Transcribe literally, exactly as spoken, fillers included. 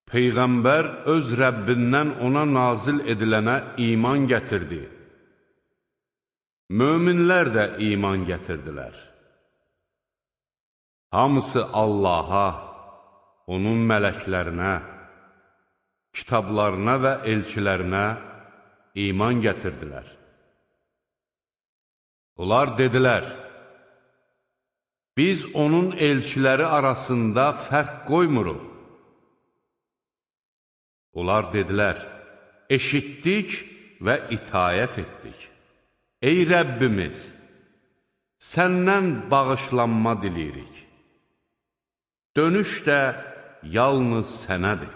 Peyğəmbər öz Rəbbindən ona nazil edilənə iman gətirdi. Möminlər də iman gətirdilər. Hamısı Allaha, onun mələklərinə, kitablarına və elçilərinə iman gətirdilər. Onlar dedilər, biz onun elçiləri arasında fərq qoymuruq. Onlar dedilər, eşitdik və itayət etdik. Ey Rəbbimiz, səndən bağışlanma diləyirik. Dönüş də yalnız sənədir.